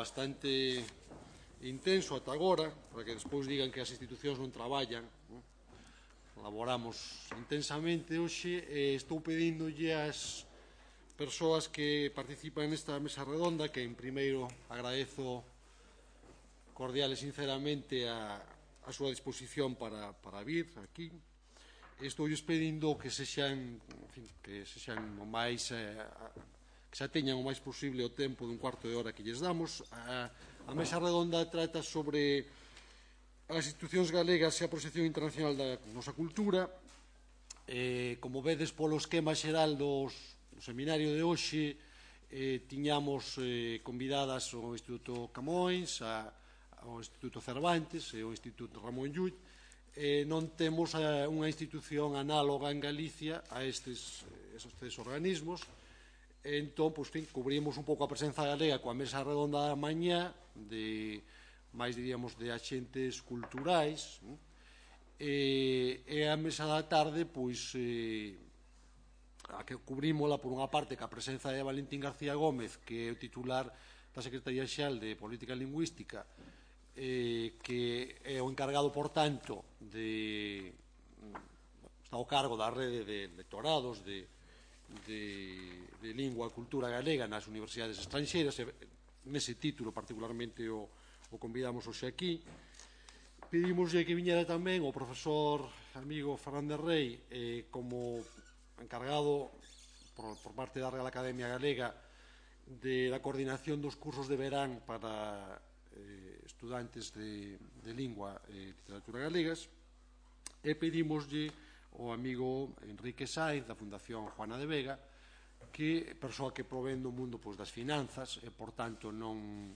Bastante intenso ata agora, para que despois digan que as institucións non traballan. Laboramos intensamente hoxe e estou pedíndolle ás persoas que participan nesta mesa redonda que, en primeiro, agradezo cordial e sinceramente a súa disposición para vir aquí. Estou pedindo que sexan o máis que xa teñan o máis posible o tempo dun cuarto de hora que lles damos. A mesa redonda trata sobre as institucións galegas e a proxección internacional da nosa cultura. Como vedes polo esquema xeral do seminario de hoxe, tiñamos convidadas o Instituto Camões, o Instituto Cervantes e o Instituto Ramón Llull. Non temos unha institución análoga en Galicia a estes organismos. Entón, cubrimos un pouco a presenza galega coa mesa redonda da mañá de máis, diríamos, de axentes culturais, e a mesa da tarde, a que cubrímola por unha parte ca presenza de Valentín García Gómez, que é o titular da Secretaría Xeral de Política Lingüística, que é o encargado, por tanto, está ao cargo da rede de lectorados de lingua e cultura galega nas universidades estranxeiras. Nese título particularmente o convidamos hoxe aquí. Pedimoslle que viñera tamén o profesor amigo Fernández Rey como encargado por parte da Real Academia Galega da coordinación dos cursos de verán para estudantes de lingua e literatura galegas, e pedimoslle o amigo Enrique Sáenz da Fundación Juana de Vega, que persoa que provén do mundo das finanzas e, por tanto, non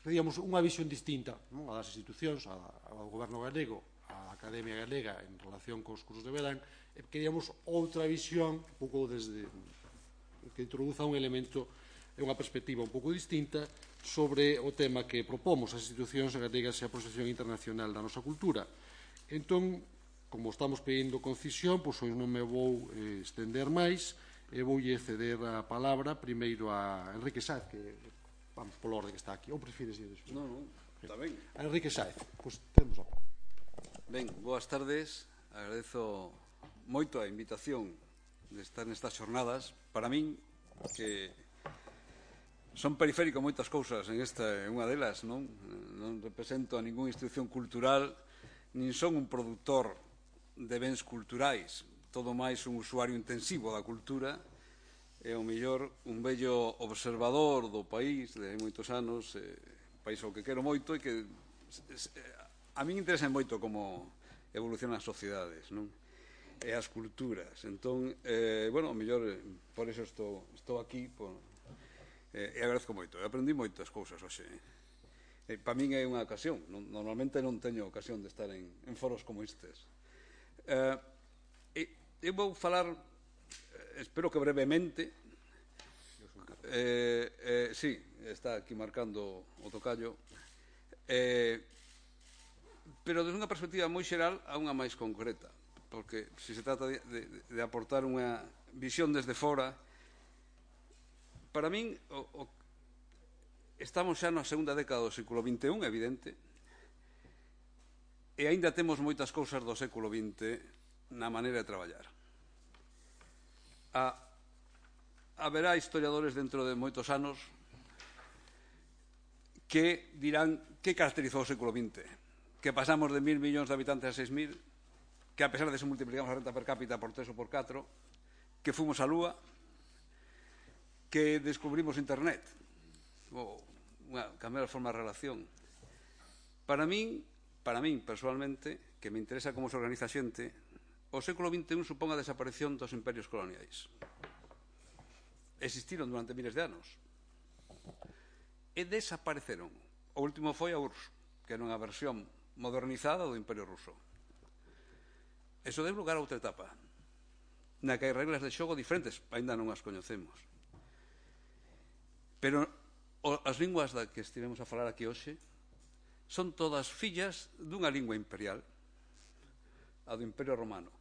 pedíamos unha visión distinta a das institucións, ao goberno galego, á Academia Galega en relación cos cursos de verán, e queríamos outra visión un pouco desde que introduza un elemento e unha perspectiva un pouco distinta sobre o tema que propomos, as institucións galegas e a proxección internacional da nosa cultura. Entón, como estamos pedindo concisión, hoxe non me vou estender máis e voulle ceder a palabra primeiro a Enrique Sáenz, que vamos polo orde que está aquí. Ou prefires ir despois? Non, está ben. A Enrique Sáenz, temos a palabra. Ben, boas tardes. Agradezo moito a invitación de estar nestas xornadas. Para min, que son periférico moitas cousas, en esta é unha delas, non represento a ninguna institución cultural, nin son un produtor de bens culturais, todo máis un usuario intensivo da cultura, e ao mellor un vello observador do país de moitos anos, país ao que quero moito e que a min interesa moito como evolucionan as sociedades, non? E as culturas. Entón, ao mellor por iso estou aquí e agradezco moito. Aprendi moitas cousas hoxe. Para min é unha ocasión. Normalmente non teño ocasión de estar en foros como estes. Eu vou falar, espero que brevemente, sí, está aquí marcando o tocayo, pero desde unha perspectiva moi xeral a unha máis concreta, porque se se trata de aportar unha visión desde fora, para min estamos xa na segunda década do século XXI, evidente, e aínda temos moitas cousas do século XX na maneira de traballar. Haberá historiadores dentro de moitos anos que dirán que caracterizou o século XX, que pasamos de 1.000 millóns de habitantes a 6.000, que a pesar de eso multiplicamos a renta per cápita por 3 ou por 4, que fomos á Lúa, que descubrimos Internet, ou cambiar a forma de relación. Para min, personalmente, que me interesa como se organiza a xente, o século XXI supón a desaparición dos imperios coloniais. Existiron durante miles de anos e desapareceron. O último foi a URSS, que era unha versión modernizada do Imperio Ruso. Eso deu lugar a outra etapa, na que hai reglas de xogo diferentes, ainda non as coñecemos. Pero as linguas da que estivemos a falar aquí hoxe son todas fillas dunha lingua imperial, a do Imperio Romano.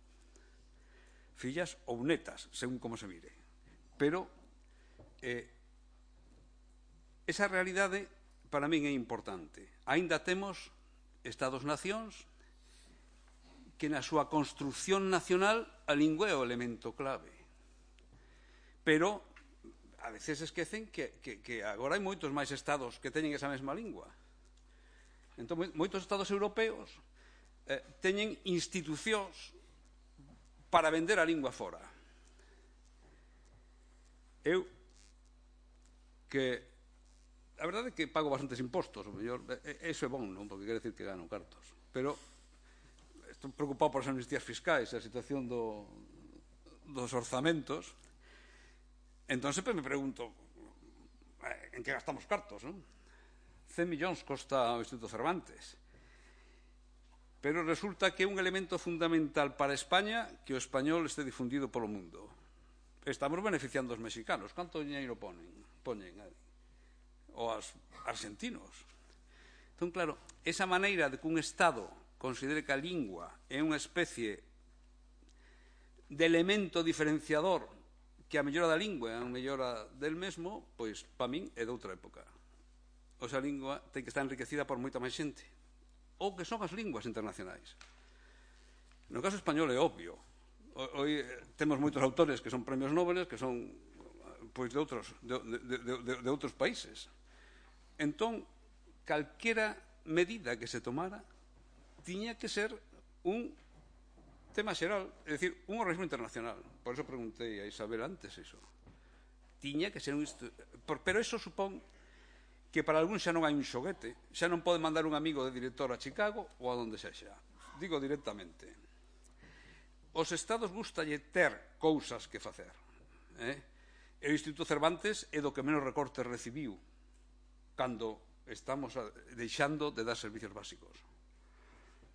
Fillas ou netas, según como se mire. Pero esa realidade para min é importante. Aínda temos Estados-nacións que na súa construción nacional a lingua é o elemento clave. Pero a veces esquecen que agora hai moitos máis estados que teñen esa mesma lingua. Entón, moitos estados europeos teñen institucións para vender a lingua fora. Eu, que a verdade é que pago bastantes impostos, o mellor, eso é bom, non? Porque quere decir que gano cartos. Pero estou preocupado por as amnistías fiscais, a situación dos orzamentos. Entón, sempre me pregunto, en que gastamos cartos, non? 100 millóns costa o Instituto Cervantes. Pero resulta que é un elemento fundamental para España que o español este difundido polo mundo. Estamos beneficiando os mexicanos. Canto dinheiro poñen? Ou os argentinos. Entón, claro, esa maneira de que un Estado considere que a lingua é unha especie de elemento diferenciador que a mellora da lingua é a mellora del mesmo, pois, para min, é de outra época. O sea, a lingua ten que estar enriquecida por moita máis xente. Ou que son as linguas internacionais. No caso español é obvio. Hoy temos moitos autores que son premios Nobel que son pois de outros países. Entón, calquera medida que se tomara tiña que ser un tema xeral, é dicir, un organismo internacional. Por eso preguntei a Isabel antes iso. Tiña que ser un... Pero eso supón que para algún xa non hai un xoguete, xa non pode mandar un amigo de director a Chicago ou a donde sexa. Digo directamente. Os estados gustalle ter cousas que facer. O Instituto Cervantes é do que menos recortes recibiu cando estamos deixando de dar servicios básicos.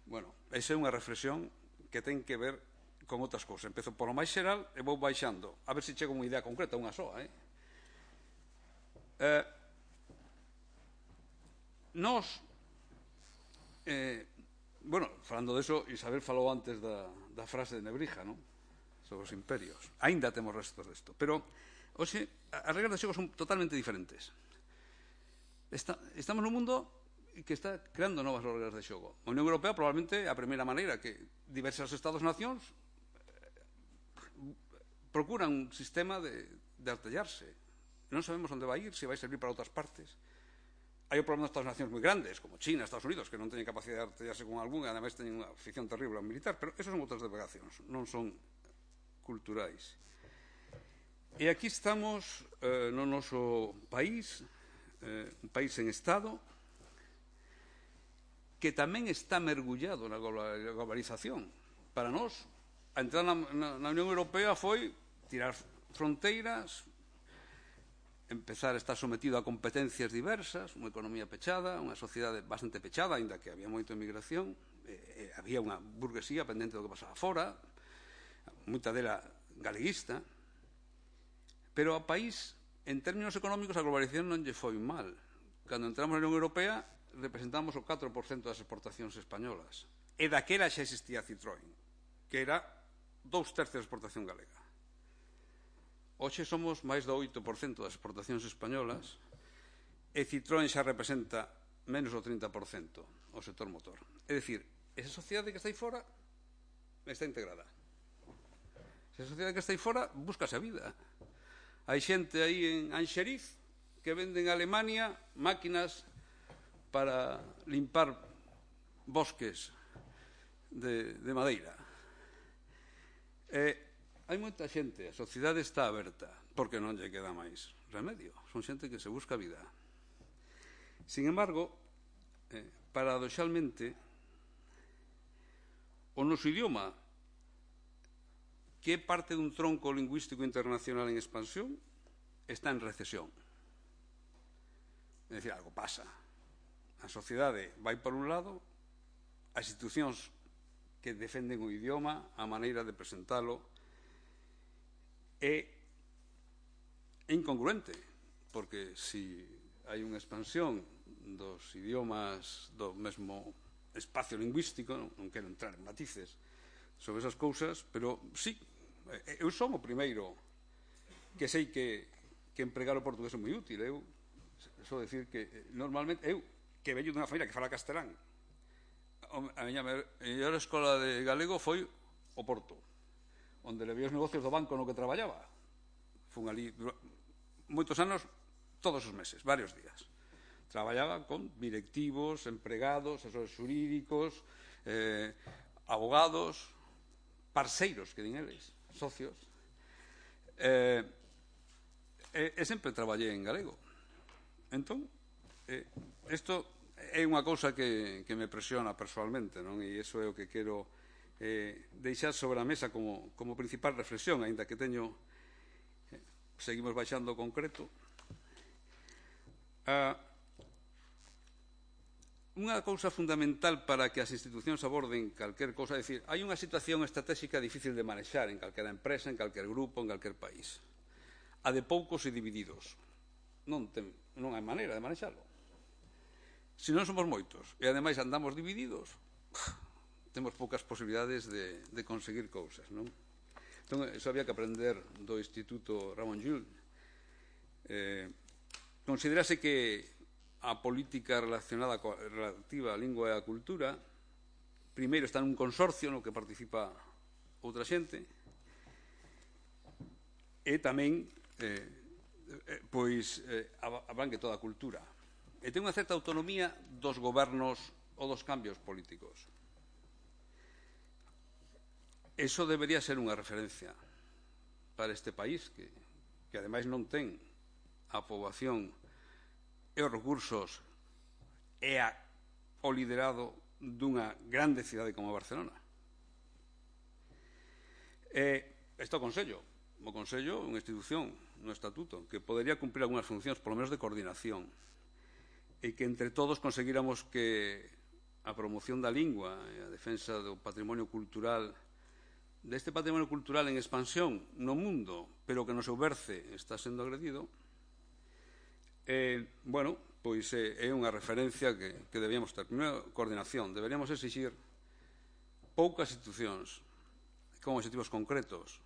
Bueno, esa é unha reflexión que ten que ver con outras cousas. Empezo polo máis xeral e vou baixando. A ver se chego a unha idea concreta, unha soa. Nos, bueno, falando deso, Isabel falou antes da frase de Nebrija, non? Sobre os imperios. Aínda temos restos desto. Pero, hoxe, as regras de xogo son totalmente diferentes. Estamos nun mundo que está creando novas regras de xogo. A Unión Europea probablemente a primeira maneira que diversas Estados-nacións procuran un sistema de artellarse. Non sabemos onde vai ir, se vai servir para outras partes. Hai o problema das Estados-nacións moi grandes, como China, Estados Unidos, que non teñen capacidade de artellarse con algún, e ademais teñen unha afición terrible ao militar, pero esos son outras delegacións, non son culturais. E aquí estamos no noso país, un país en Estado, que tamén está mergullado na globalización. Para nós, a entrada na Unión Europea foi tirar fronteiras, empezar a estar sometido a competencias diversas, unha economía pechada, unha sociedade bastante pechada, aínda que había moita emigración, había unha burguesía pendente do que pasaba fora, moita dela galeguista, pero ao país, en términos económicos, a globalización non lle foi mal. Cando entramos na Unión Europea, representamos o 4% das exportacións españolas. E daquela xa existía Citroën, que era 2/3 da exportación galega. Hoxe somos máis do 8% das exportacións españolas e Citroën xa representa menos do 30% o sector motor. É dicir, esa sociedade que está aí fora está integrada. Esa sociedade que está aí fora búscase a vida. Hai xente aí en Anxeriz que vende en Alemania máquinas para limpar bosques de madeira. Hai moita xente, a sociedade está aberta, porque non lle queda máis remedio. Son xente que se busca vida. Sin embargo, paradoxalmente, o noso idioma, que é parte dun tronco lingüístico internacional en expansión, está en recesión. É dicir, algo pasa. A sociedade vai por un lado, as institucións que defenden o idioma, a maneira de presentalo, é incongruente, porque se hai unha expansión dos idiomas do mesmo espacio lingüístico, non quero entrar en matices sobre esas cousas, pero sí, eu son o primeiro que sei que empregar o portugués é moi útil. Eu só dicir que normalmente eu, que veño dunha familia que fala castelán, a miña mellor escola de galego foi o Porto, onde levei os negocios do banco no que traballaba. Fun ali moitos anos, todos os meses, varios días. Traballaba con directivos, empregados, asesores xurídicos, abogados, parceiros, que din eles, socios. E sempre traballei en galego. Entón, isto é unha cousa que me presiona personalmente, non? E iso é o que quero deixar sobre a mesa como principal reflexión, aínda que teño, seguimos baixando o concreto. Unha cousa fundamental para que as institucións aborden calquer cousa, é dicir, hai unha situación estratégica difícil de manexar en calquera empresa, en calquer grupo, en calquer país. A de poucos e divididos. Non hai maneira de manexalo. Se non somos moitos e ademais andamos divididos, temos poucas posibilidades de conseguir cousas, non? Entón, iso había que aprender do Instituto Ramon Llull. Considerase que a política relativa á lingua e á cultura primeiro está nun consorcio no que participa outra xente e tamén abrangue toda a cultura e ten unha certa autonomía dos gobernos ou dos cambios políticos. Eso debería ser unha referencia para este país que ademais non ten a poboación e os recursos e o liderado dunha grande cidade como Barcelona. Está o Consello. O Consello é unha institución no Estatuto que podería cumprir algunhas funcións, polo menos de coordinación, e que entre todos conseguíramos que a promoción da lingua e a defensa do patrimonio cultural, deste patrimonio cultural en expansión no mundo, pero que no seu berce está sendo agredido, pois é unha referencia que debíamos ter. Primeiro, coordinación. Deberíamos exigir poucas institucións con objetivos concretos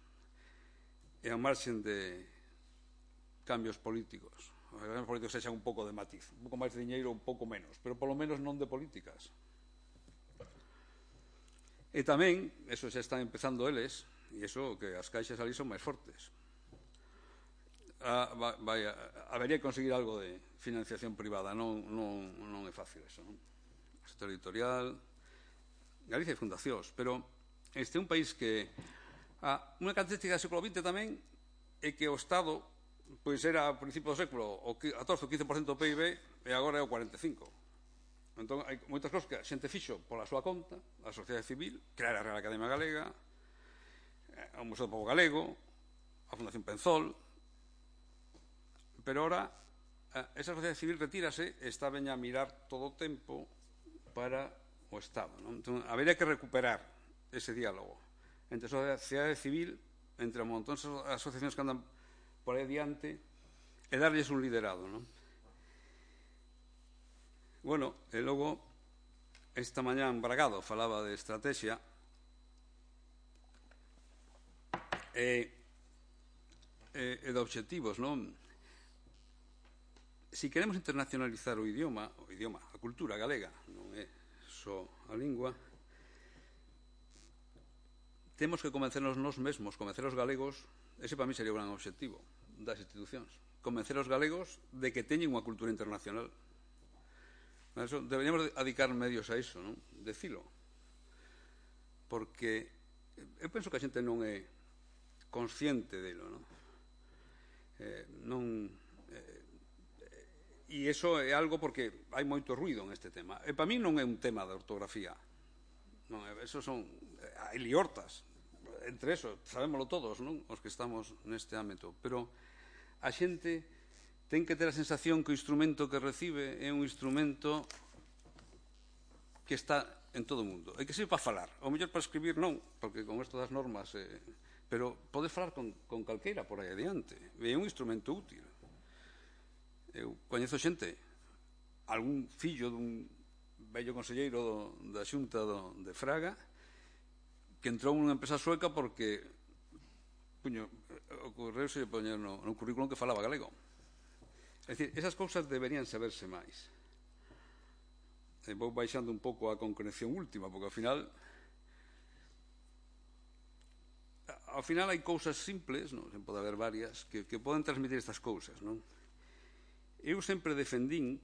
e a marxen de cambios políticos. Os cambios políticos sexan un pouco de matiz, un pouco máis de diñeiro, un pouco menos, pero polo menos non de políticas. E tamén, eso xa están empezando eles, e iso que as caixas ali son máis fortes. Habería que conseguir algo de financiación privada, non é fácil eso, non? O sector editorial, Galicia e fundacións, pero este é un país que unha característica do século XX tamén é que o Estado pois era a principio do século o 14 ou 15% do PIB e agora é o 45%. Entón, hai moitas cousas que a xente fixo pola súa conta, a sociedade civil, crear a Real Academia Galega, o Museo do Pobo Galego, a Fundación Penzol, pero ora esa sociedade civil retírase e está veña a mirar todo o tempo para o Estado, non? Entón, habería que recuperar ese diálogo entre a sociedade civil, entre un montón de asociacións que andan por aí adiante e darlles un liderado, non? Bueno, e logo esta mañá Bragado falaba de estrategia e de obxectivos, non? Si queremos internacionalizar o idioma, a cultura galega, non é só a lingua, temos que convencernos nós mesmos, convencer os galegos. Ese para mí sería un gran obxectivo das institucións, convencer os galegos de que teñen unha cultura internacional. Deberíamos dedicar medios a iso, non? Decilo, porque eu penso que a xente non é consciente delo, non? E iso é algo porque hai moito ruido en este tema, e para mí non é un tema de ortografía, non, eso son hai liortas entre eso, sabémoslo todos, non? Os que estamos neste ámbito, pero a xente ten que ter a sensación que o instrumento que recibe é un instrumento que está en todo o mundo e que sirve para falar, ou mellor para escribir non, porque con isto das normas pero podes falar con calqueira por aí adiante, é un instrumento útil. Eu coñezo xente, algún fillo dun vello conselleiro da Xunta de Fraga, que entrou nunha empresa sueca porque ocorreuse poñer no currículum que falaba galego. É dicir, esas cousas deberían saberse máis. Vou baixando un pouco a concreción última, porque ao final hai cousas simples, non? Pode haber varias, que poden transmitir estas cousas, non? Eu sempre defendín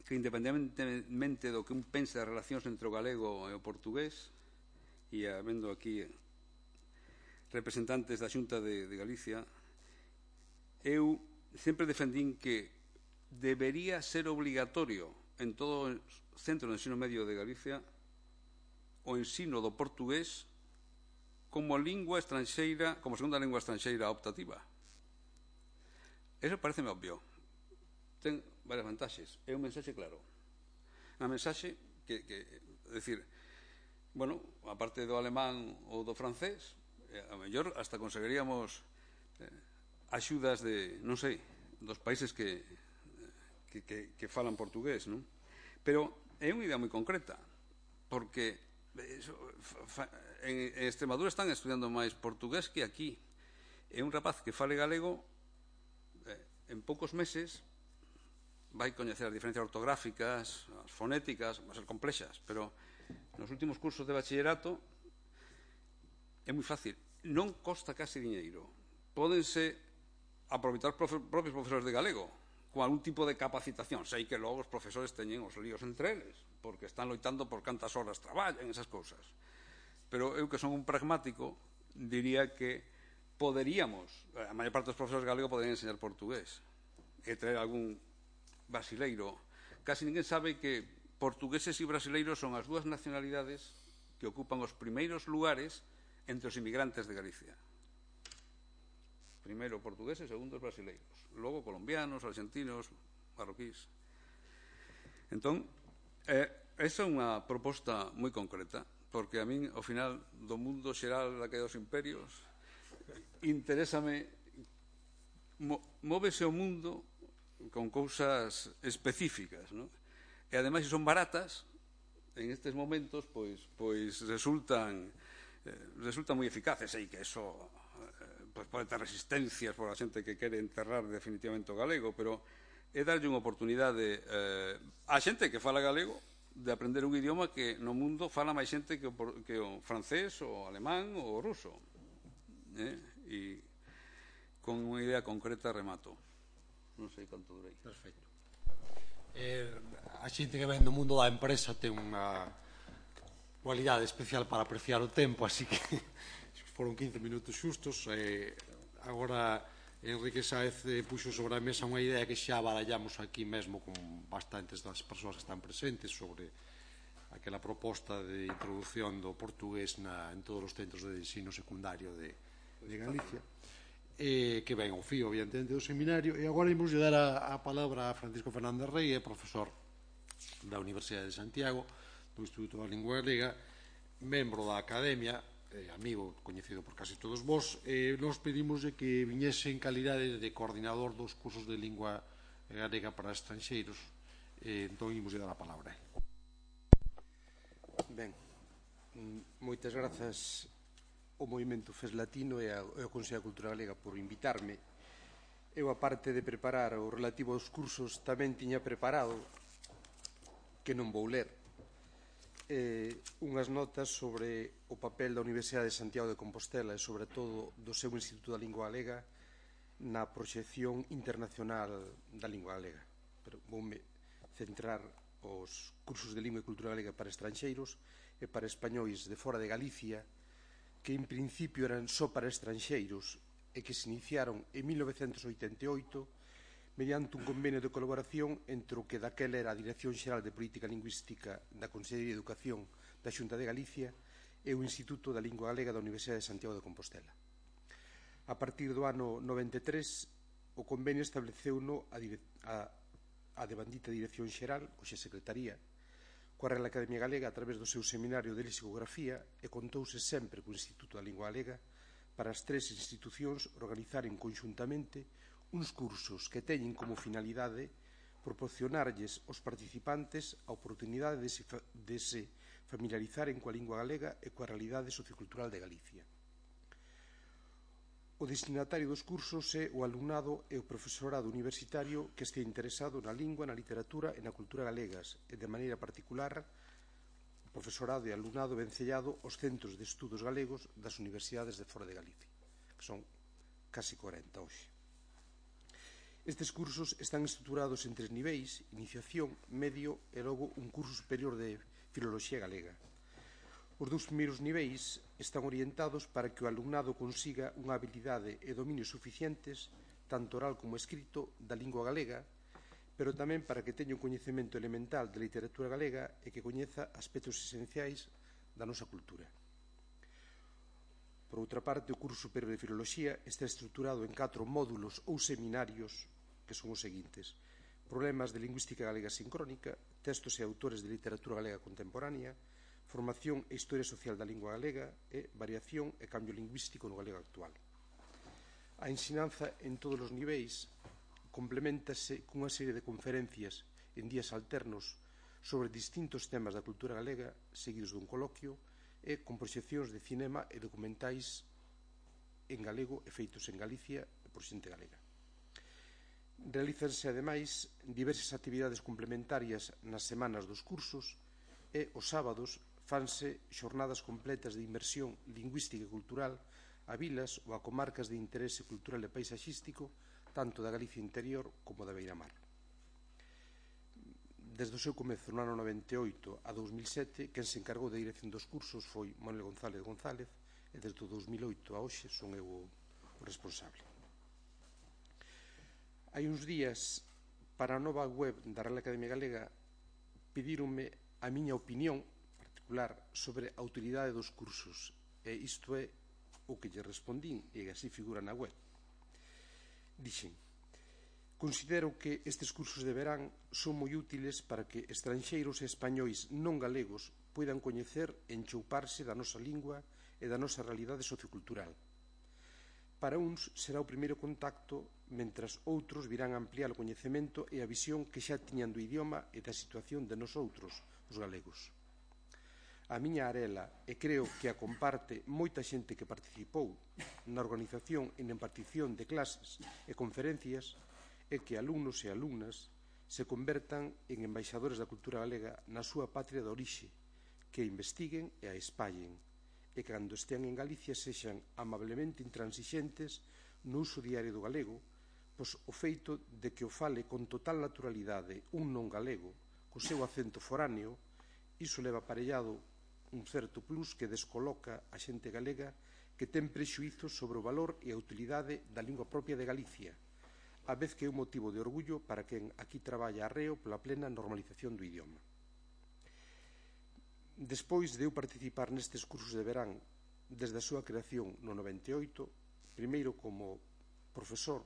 que, independentemente do que un pense das relacións entre o galego e o portugués, e habendo aquí representantes da Xunta de Galicia, eu sempre defendín que debería ser obligatorio en todo o centro de ensino medio de Galicia o ensino do portugués como lingua estranxeira, como segunda lingua estranxeira optativa. Eso pareceme obvio. Ten varias vantaxes. É un mensaxe claro. Unha mensaxe que decir, bueno, aparte do alemán ou do francés, a mellor hasta conseguiríamos axudas de, non sei, dos países que falan portugués, non? Pero é unha idea moi concreta, porque en Extremadura están estudiando máis portugués que aquí. É un rapaz que fale galego, en poucos meses vai coñecer as diferencias ortográficas, as fonéticas, vai ser complexas, pero nos últimos cursos de bachillerato é moi fácil. Non costa case diñeiro. Pódense aproveitar os propios profesores de galego con algún tipo de capacitación. Sei que logo os profesores teñen os líos entre eles, porque están loitando por cantas horas traballan, esas cousas. Pero eu, que son un pragmático, diría que poderíamos, a maior parte dos profesores de galego poderían enseñar portugués e traer algún brasileiro. Casi ninguén sabe que portugueses e brasileiros son as dúas nacionalidades que ocupan os primeiros lugares entre os inmigrantes de Galicia. Primeiro portugueses, segundo os brasileiros. Logo colombianos, argentinos, marroquís. Entón, esa é unha proposta moi concreta, porque a min, ao final do mundo xeral da que dos imperios, interésame, móvese o mundo con cousas específicas, non? E ademais, se son baratas, en estes momentos, pois resultan moi eficaces. Sei que eso pode ter resistencias por a xente que quere enterrar definitivamente o galego, pero é darlle unha oportunidade a xente que fala galego de aprender un idioma que no mundo fala máis xente que o francés, o alemán ou o ruso. E con unha idea concreta remato. Non sei canto durei. Perfecto. A xente que ven do mundo da empresa ten unha cualidade especial para apreciar o tempo, así que foron 15 minutos xustos. Agora Enrique Sáez puxo sobre a mesa unha idea que xa barallamos aquí mesmo con bastantes das persoas que están presentes sobre aquela proposta de introducción do portugués en todos os centros de ensino secundario de Galicia, que ven ao fío, evidentemente, do seminario. E agora imos dar a palabra a Francisco Fernández Rey, profesor da Universidade de Santiago, do Instituto da Lingua Galega, membro da Academia, amigo coñecido por casi todos vós. Nos pedimos que viñese en calidade de coordinador dos cursos de lingua galega para estranxeiros. Entón, imos dar a palabra. Ben, moitas grazas ao Movimento FES Latino e ao Consello de Cultura Galega por invitarme. Eu, aparte de preparar o relativo aos cursos, tamén tiña preparado, que non vou ler, unhas notas sobre o papel da Universidade de Santiago de Compostela e, sobre todo, do seu Instituto da Lingua Galega na proxección internacional da lingua galega. Pero voume centrar os cursos de lingua e cultura galega para estranxeiros e para españois de fora de Galicia, que en principio eran só para estranxeiros e que se iniciaron en 1988 mediante un convenio de colaboración entre o que daquela era a Dirección Xeral de Política Lingüística da Consellería de Educación da Xunta de Galicia e o Instituto da Lingua Galega da Universidade de Santiago de Compostela. A partir do ano 93, o convenio estableceu a devandita Dirección Xeral, hoxe Secretaría, coa Real Academia Galega a través do seu seminario de lexicografía, e contouse sempre co Instituto da Lingua Galega para as tres institucións organizaren conxuntamente uns cursos que teñen como finalidade proporcionarlles aos participantes a oportunidade de se familiarizaren coa lingua galega e coa realidade sociocultural de Galicia. O destinatario dos cursos é o alumnado e o profesorado universitario que este interesado na lingua, na literatura e na cultura galegas, e de maneira particular o profesorado e alumnado vencellado aos centros de estudos galegos das universidades de fora de Galicia, que son casi 40 hoxe. Estes cursos están estruturados en 3 niveis: iniciación, medio e logo un curso superior de filoloxía galega. Os 2 primeiros niveis están orientados para que o alumnado consiga unha habilidade e dominios suficientes, tanto oral como escrito, da lingua galega, pero tamén para que teña un coñecemento elemental de literatura galega e que coñeza aspectos esenciais da nosa cultura. Por outra parte, o curso superior de filoloxía está estruturado en 4 módulos ou seminarios que son os seguintes: problemas de lingüística galega sincrónica, textos e autores de literatura galega contemporánea, formación e historia social da lingua galega e variación e cambio lingüístico no galego actual. A ensinanza en todos os niveis complementase cunha serie de conferencias en días alternos sobre distintos temas da cultura galega, seguidos dun coloquio e con proxeccións de cinema e documentais en galego e feitos en Galicia e por xente galega. Realízanse, ademais, diversas actividades complementarias nas semanas dos cursos e os sábados fanse xornadas completas de inmersión lingüística e cultural a vilas ou a comarcas de interese cultural e paisaxístico tanto da Galicia interior como da Beiramar. Desde o seu comezo no ano 98 a 2007, quen se encargou da dirección dos cursos foi Manuel González González, e desde o 2008 a hoxe son eu o responsable. Hai uns días, para a nova web da Real Academia Galega, pedíronme a miña opinión particular sobre a utilidade dos cursos, e isto é o que lle respondín, e así figura na web. Dixen: considero que estes cursos de verán son moi útiles para que estranxeiros e españois non galegos poidan coñecer e enchouparse da nosa lingua e da nosa realidade sociocultural. Para uns será o primeiro contacto, mentras outros virán a ampliar o coñecemento e a visión que xa tiñan do idioma e da situación de nosoutros, os galegos. A miña arela, e creo que a comparte moita xente que participou na organización e na impartición de clases e conferencias, é que alumnos e alumnas se convertan en embaixadores da cultura galega na súa patria de orixe, que investiguen e a espallen, e que cando estean en Galicia sexan amablemente intransixentes no uso diario do galego, pois o feito de que o fale con total naturalidade un non galego, co seu acento foráneo, iso leva aparellado un certo plus que descoloca a xente galega que ten prexuízos sobre o valor e a utilidade da lingua propia de Galicia, a vez que é un motivo de orgullo para quen aquí traballa arreo pola plena normalización do idioma. Despois de eu participar nestes cursos de verán desde a súa creación no 98, primeiro como profesor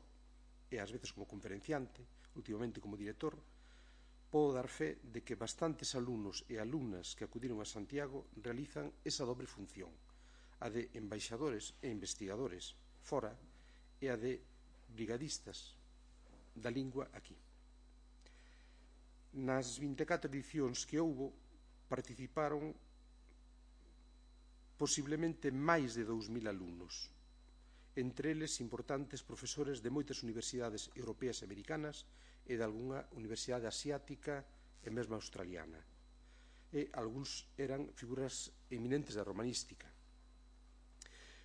e ás veces como conferenciante, últimamente como director, podo dar fe de que bastantes alumnos e alumnas que acudiron a Santiago realizan esa dobre función, a de embaixadores e investigadores fora e a de brigadistas da lingua aquí. Nas 24 edicións que houbo, participaron posiblemente máis de 2.000 alumnos, entre eles importantes profesores de moitas universidades europeas e americanas e de algunha universidade asiática e mesmo australiana. E algúns eran figuras eminentes da romanística.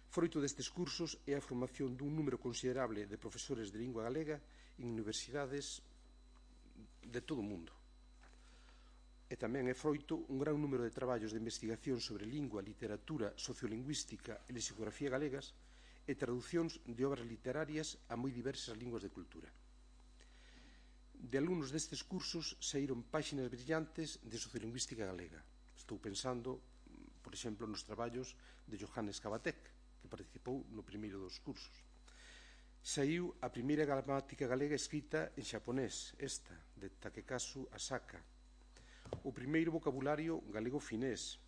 Froito destes cursos é a formación dun número considerable de profesores de lingua galega en universidades de todo o mundo. E tamén é froito un gran número de traballos de investigación sobre lingua, literatura, sociolingüística e lexicografía galegas e traducións de obras literarias a moi diversas linguas de cultura. De alumnos destes cursos saíron páxinas brillantes de sociolingüística galega. Estou pensando, por exemplo, nos traballos de Johannes Kabatek, que participou no primeiro dos cursos. Saiu a primeira gramática galega escrita en xaponés, esta, de Takekazu Asaka, o primeiro vocabulario galego finés,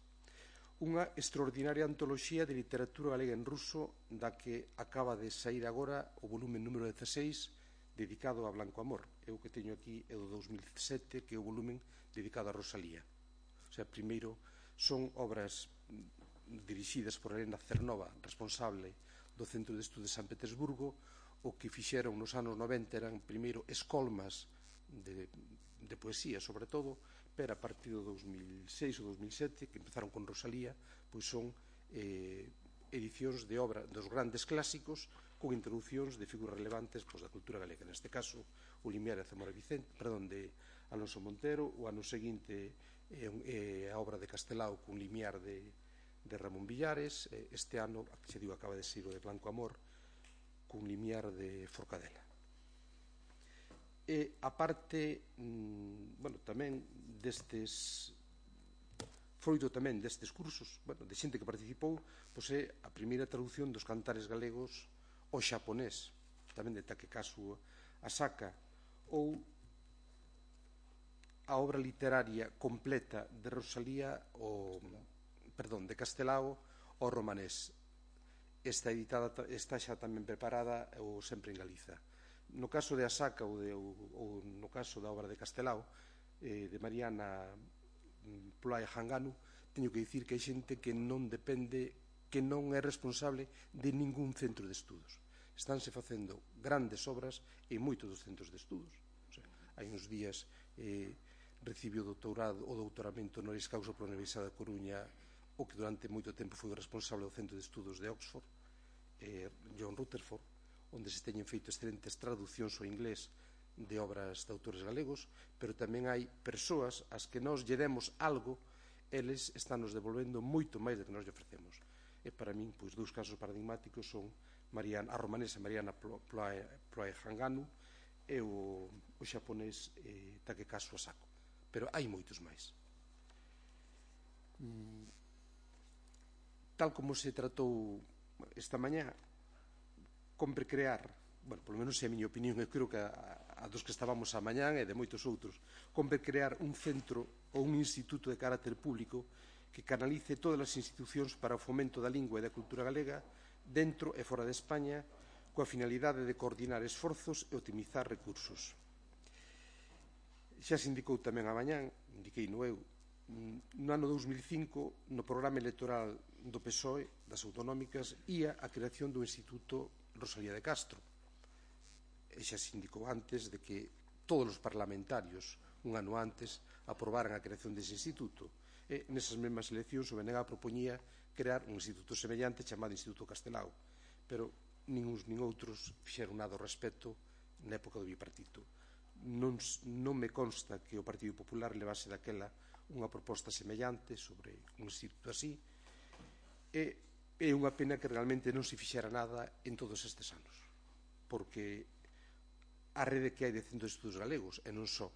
unha extraordinaria antoloxía de literatura galega en ruso da que acaba de sair agora o volume número 16 dedicado a Blanco Amor. Eu que teño aquí é do 2007, que é o volumen dedicado a Rosalía. O sea, primeiro son obras dirixidas por Elena Cernova, responsable do Centro de Estudos de San Petersburgo, o que fixeron nos anos 90 eran primeiro escolmas de poesía, sobre todo, pero a partir do 2006 ou 2007, que empezaron con Rosalía, pois son edicións de obra dos grandes clásicos con introducións de figuras relevantes da cultura galega. Neste caso, o Limiar de Zamora Vicente, de Alonso Montero, o ano seguinte a obra de Castelao con Limiar de Ramón Villares, este ano, que se digo acaba de ser o de Blanco Amor, con Limiar de Forcadela. E a parte, tamén destes, froito tamén destes cursos, de xente que participou, pois é a primeira traducción dos cantares galegos ao xaponés, tamén de Takekazu Asaka, ou a obra literaria completa de Rosalía, de Castelao ao romanés. Está xa tamén preparada ou sempre en Galiza. No caso de Asaka ou no caso da obra de Castelao, de Mariana Ploaya Hanganu, teño que dicir que hai xente que non depende, que non é responsable de ningún centro de estudos. Estánse facendo grandes obras en moitos dos centros de estudos. Hai uns días recibiu o doutoramento honoris causa pola Universidade da Coruña, o que durante moito tempo foi o responsable do Centro de Estudos de Oxford, John Rutherford, onde se teñen feito excelentes traducións ao inglés de obras de autores galegos, pero tamén hai persoas ás que nós lle demos algo, eles están nos devolvendo moito máis do que nós lle ofrecemos. E para min, pois, dous casos paradigmáticos son a romanesa Mariana Ploaya Hanganu e o xaponés Takekazu Asako. Pero hai moitos máis. Tal como se tratou esta mañá, compre crear, polo menos é a miña opinión, eu creo que a dos que estábamos a mañán e de moitos outros, compre crear un centro ou un instituto de carácter público que canalice todas as institucións para o fomento da lingua e da cultura galega dentro e fora de España, coa finalidade de coordinar esforzos e optimizar recursos. Xa se indicou tamén a mañán, indiquei no eu, no ano 2005, no programa electoral do PSOE, das autonómicas, ia a creación do Instituto Rosalía de Castro. E xa se indicou antes de que todos os parlamentarios, un ano antes, aprobaran a creación dese instituto. E nesas mesmas eleccións o BNG propoñía crear un instituto semellante chamado Instituto Castelao, pero nin uns nin outros fixeron nada ao respecto na época do bipartito. Non me consta que o Partido Popular levase daquela unha proposta semellante sobre un instituto así, e é unha pena que realmente non se fixera nada en todos estes anos, porque a rede que hai de centros de estudos galegos, e non só,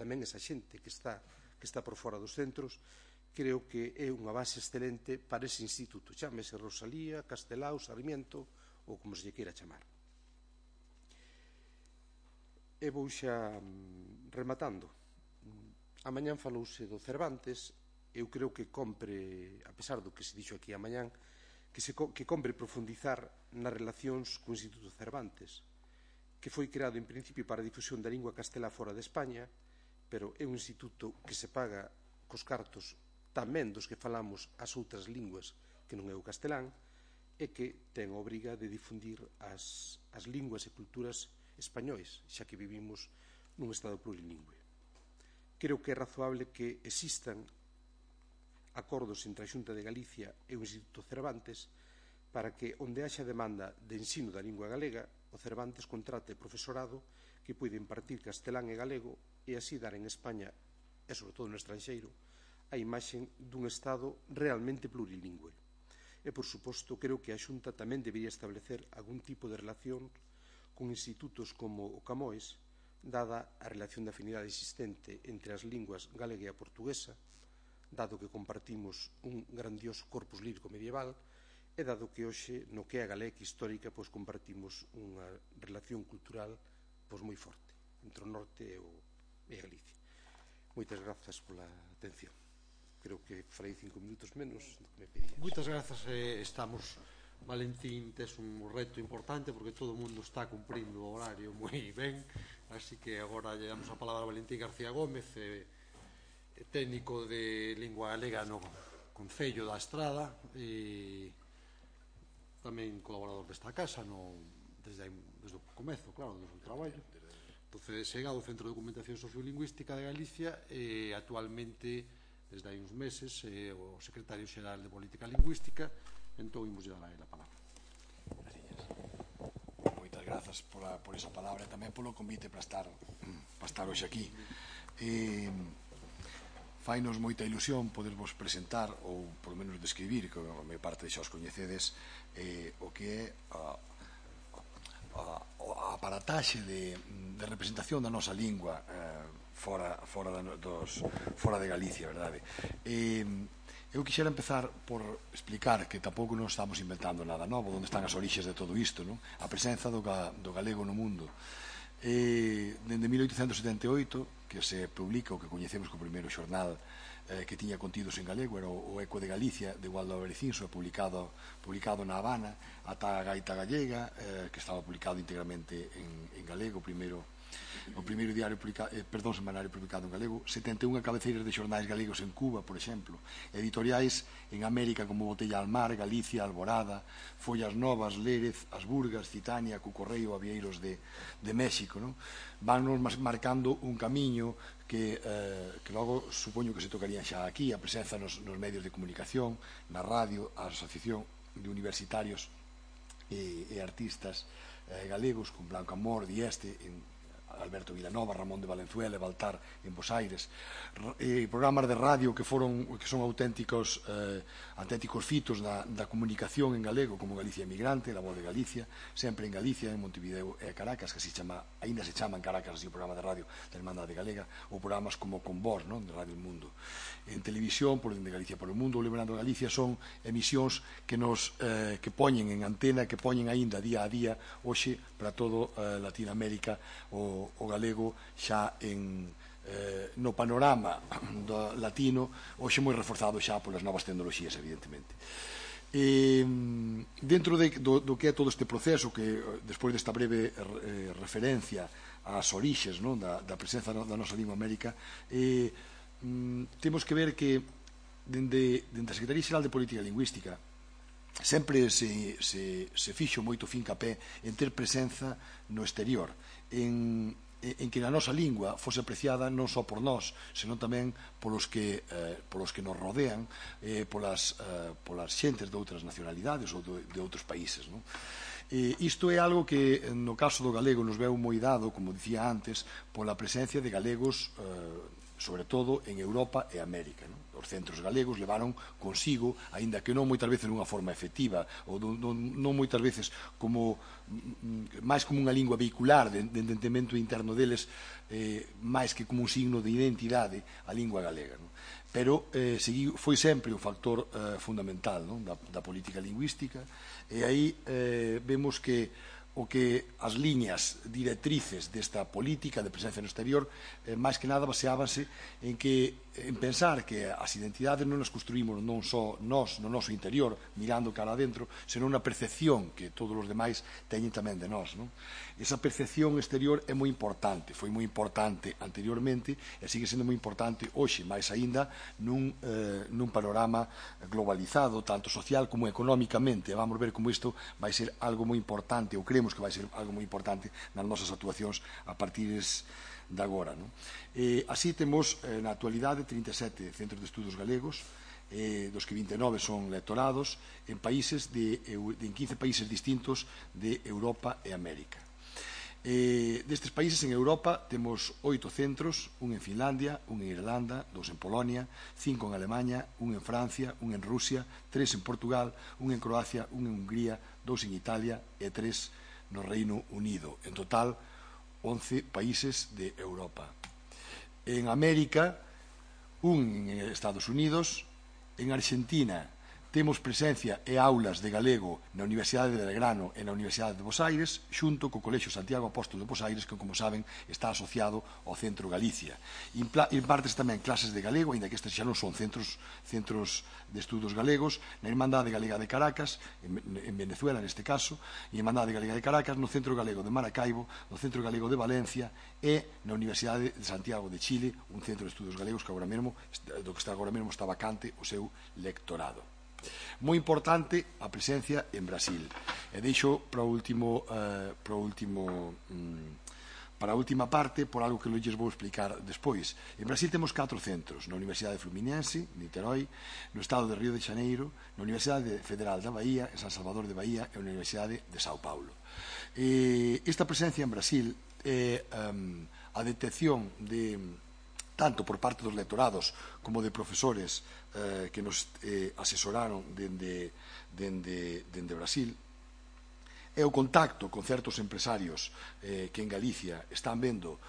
tamén esa xente que está por fora dos centros, creo que é unha base excelente para ese instituto, chámese Rosalía, Castelao, Sarmiento, ou como se lle queira chamar. E vou xa rematando. A mañán falouse do Cervantes. Eu creo que compre, a pesar do que se dixo aquí a mañán, que compre profundizar nas relacións co Instituto Cervantes, que foi creado en principio para a difusión da lingua castelá fora de España, pero é un instituto que se paga cos cartos tamén dos que falamos as outras linguas que non é o castelán, e que ten a obriga de difundir as linguas e culturas españois, xa que vivimos nun estado plurilingüe. Creo que é razoable que existan acordos entre a Xunta de Galicia e o Instituto Cervantes para que, onde haxa demanda de ensino da lingua galega, o Cervantes contrate profesorado que poida impartir castelán e galego e así dar en España, e sobre todo no estranxeiro, a imaxe dun Estado realmente plurilingüe. E, por suposto, creo que a Xunta tamén debería establecer algún tipo de relación con institutos como o Camões, dada a relación de afinidade existente entre as linguas galega e a portuguesa, dado que compartimos un grandioso corpus lírico medieval, e dado que hoxe, no que é a galega histórica, compartimos unha relación cultural moi forte entre o norte e Galicia. Moitas grazas pola atención. Creo que farei 5 minutos menos do que me pedías. Moitas grazas. Estamos, Valentín, tes un reto importante porque todo o mundo está cumprindo o horario moi ben, así que agora lle damos a palabra a Valentín García Gómez, técnico de lingua galega no Concello da Estrada, tamén colaborador desta casa desde o comezo, claro, desde o traballo. Entonces, chega ao Centro de Documentación Sociolingüística de Galicia e actualmente, desde hai uns meses, o secretario xeral de Política Lingüística. Entón, imos dar a él a palabra. Moitas grazas por esa palabra e tamén polo convite para estar hoxe aquí. Fainos moita ilusión podervos presentar ou polo menos describir, que a maior parte xa os coñecedes, o que é a aparataxe de representación da nosa lingua fora de Galicia, verdade? Eu quixera empezar por explicar que tampouco non estamos inventando nada novo, onde están as orixes de todo isto, non? A presenza do galego no mundo. Dende 1878, que se publica o que coñecemos como primeiro xornal que tiña contidos en galego, era o Eco de Galicia, de Gualdo Berecinso, publicado na Habana, ata a Gaita Gallega, que estaba publicado íntegramente en galego, o primeiro semanario publicado en galego, 71 cabeceiras de xornais galegos en Cuba, por exemplo, editoriais en América como Botella al Mar, Galicia, Alborada, Follas Novas, Lérez, As Burgas, Citania, Cucorreio, Avieiros de México, non? Vannos marcando un camiño que logo supoño que se tocarían xa aquí, a presenza nos medios de comunicación, na radio, a asociación de universitarios e artistas galegos, con Blanco Amor, Dieste, Alberto Vilanova, Ramón de Valenzuela e Baltar en Bos Aires, programas de radio que son auténticos fitos da comunicación en galego, como Galicia Emigrante, La Voz de Galicia, sempre en Galicia, en Montevideo e Caracas, que ainda se chama en Caracas así o programa de radio da Hermandade Galega, ou programas como Con Vos, de Radio El Mundo. En televisión, por de Galicia por o Mundo, ou Lembrando Galicia, son emisións que poñen en antena, que poñen aínda día a día, hoxe, para todo Latinoamérica, o galego xa no panorama latino, hoxe moi reforzado xa polas novas tecnoloxías, evidentemente. Dentro do que é todo este proceso, que despois desta breve referencia ás orixes da presenza da nosa lingua América, temos que ver que dende a Secretaría Xeral de Política Lingüística sempre se fixo moito fincapé en ter presenza no exterior, en que a nosa lingua fose apreciada non só por nós, senón tamén polos que nos rodean, polas xentes de outras nacionalidades ou de outros países. Isto é algo que no caso do galego nos veu moi dado, como dicía antes, pola presencia de galegos sobre todo en Europa e América. Os centros galegos levaron consigo, aínda que non moitas veces nunha forma efectiva, ou non moitas veces máis como unha lingua vehicular de entendemento interno deles, máis que como un signo de identidade a lingua galega. Pero foi sempre un factor fundamental da política lingüística, e aí vemos que as liñas directrices desta política de presencia no exterior máis que nada baseábanse en pensar que as identidades non as construímos non só nós no noso interior mirando cara adentro, senón na percepción que todos os demais teñen tamén de nós. Esa percepción exterior é moi importante, foi moi importante anteriormente e sigue sendo moi importante hoxe, máis aínda nun panorama globalizado, tanto social como económicamente. Vamos ver como isto vai ser algo moi importante, ou creemos que vai ser algo moi importante nas nosas actuacións a partir de agora. Así temos na actualidade 37 centros de estudos galegos, dos que 29 son lectorados en 15 países distintos de Europa e América. Destes países en Europa temos 8 centros, un en Finlandia, un en Irlanda, 2 en Polonia, 5 en Alemanha, un en Francia, un en Rusia, 3 en Portugal, un en Croacia, un en Hungría, 2 en Italia e 3 no Reino Unido. En total, 11 países de Europa. En América, un en Estados Unidos, en Argentina temos presencia e aulas de galego na Universidade de Belgrano e na Universidade de Bos Aires, xunto co Colexio Santiago Apóstolo de Bos Aires, que, como saben, está asociado ao Centro Galicia. Impartes tamén clases de galego, ainda que estes xa non son centros de estudos galegos, na Irmandade Galega de Caracas, en Venezuela neste caso, e a Irmandade Galega de Caracas, no Centro Galego de Maracaibo, no Centro Galego de Valencia e na Universidade de Santiago de Chile, un centro de estudos galegos que agora mesmo está vacante o seu lectorado. Moi importante a presencia en Brasil. E deixo para a última parte por algo que lles vou explicar despois. En Brasil temos 4 centros, na Universidade Fluminense, Niterói, no estado de Río de Xaneiro, na Universidade Federal da Bahía, en San Salvador de Bahía e na Universidade de Sao Paulo. Esta presencia en Brasil é a detección de tanto por parte dos lectorados como de profesores que nos asesoraron dende Brasil, é o contacto con certos empresarios que en Galicia están vendo